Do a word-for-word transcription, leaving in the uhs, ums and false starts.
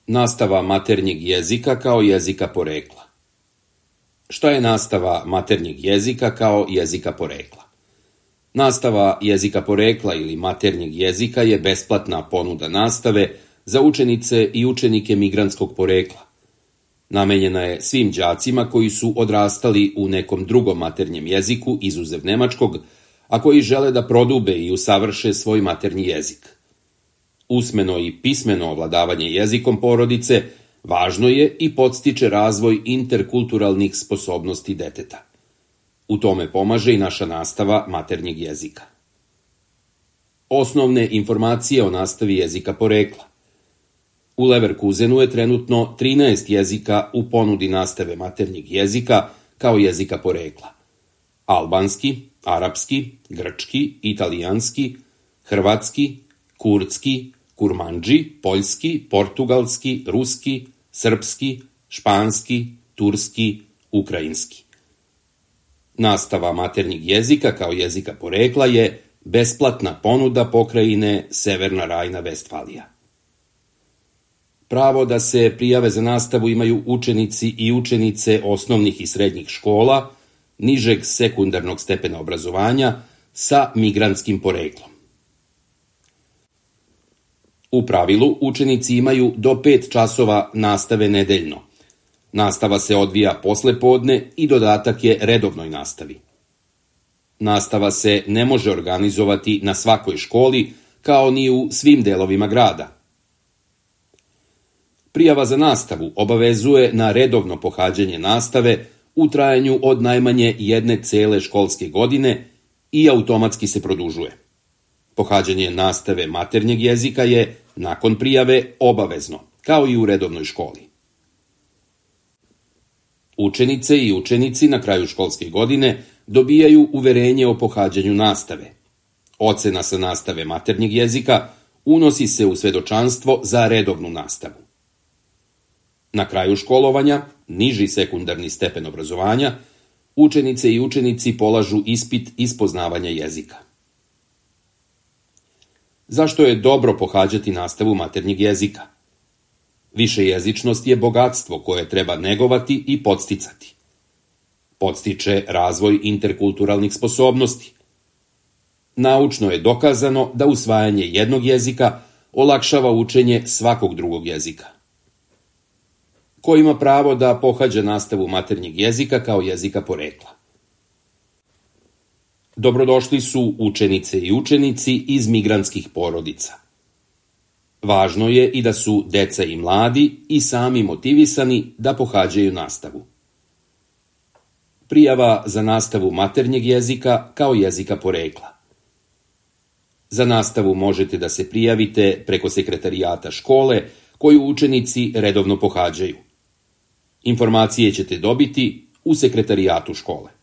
Nastava maternjeg jezika kao jezika porekla. Šta je nastava maternjeg jezika kao jezika porekla? Nastava jezika porekla ili maternjeg jezika je besplatna ponuda nastave za učenice i učenike migrantskog porekla. Namenjena je svim đacima koji su odrastali u nekom drugom maternjem jeziku izuzev nemačkog, a koji žele da prodube i usavrše svoj maternji jezik. Usmeno i pismeno ovladavanje jezikom porodice važno je i podstiče razvoj interkulturalnih sposobnosti deteta. U tome pomaže i naša nastava maternjeg jezika. Osnovne informacije o nastavi jezika porekla. U Leverkusenu je trenutno trinaest jezika u ponudi nastave maternjeg jezika kao jezika porekla. Albanski, arapski, grčki, italijanski, hrvatski, kurdski, kurmandži, poljski, portugalski, ruski, srpski, španski, turski, ukrajinski. Nastava maternjeg jezika kao jezika porekla je besplatna ponuda pokrajine Severna Rajna-Vestfalija. Pravo da se prijave za nastavu imaju učenici i učenice osnovnih i srednjih škola, nižeg sekundarnog stepena obrazovanja sa migrantskim poreklom. U pravilu, učenici imaju do pet časova nastave nedeljno. Nastava se odvija posle podne i dodatak je redovnoj nastavi. Nastava se ne može organizovati na svakoj školi, kao ni u svim delovima grada. Prijava za nastavu obavezuje na redovno pohađanje nastave u trajanju od najmanje jedne cele školske godine i automatski se produžuje. Pohađanje nastave maternjeg jezika je nakon prijave obavezno, kao i u redovnoj školi. Učenice i učenici na kraju školske godine dobijaju uverenje o pohađanju nastave. Ocena sa nastave maternjeg jezika unosi se u svedočanstvo za redovnu nastavu. Na kraju školovanja, niži sekundarni stepen obrazovanja, učenice i učenici polažu ispit iz poznavanja jezika. Zašto je dobro pohađati nastavu maternjeg jezika? Višejezičnost je bogatstvo koje treba negovati i podsticati. Podstiče razvoj interkulturalnih sposobnosti. Naučno je dokazano da usvajanje jednog jezika olakšava učenje svakog drugog jezika. Ko ima pravo da pohađa nastavu maternjeg jezika kao jezika porekla? Dobrodošli su učenice i učenici iz migrantskih porodica. Važno je i da su deca i mladi i sami motivisani da pohađaju nastavu. Prijava za nastavu maternjeg jezika kao jezika porekla. Za nastavu možete da se prijavite preko sekretarijata škole koju učenici redovno pohađaju. Informacije ćete dobiti u sekretarijatu škole.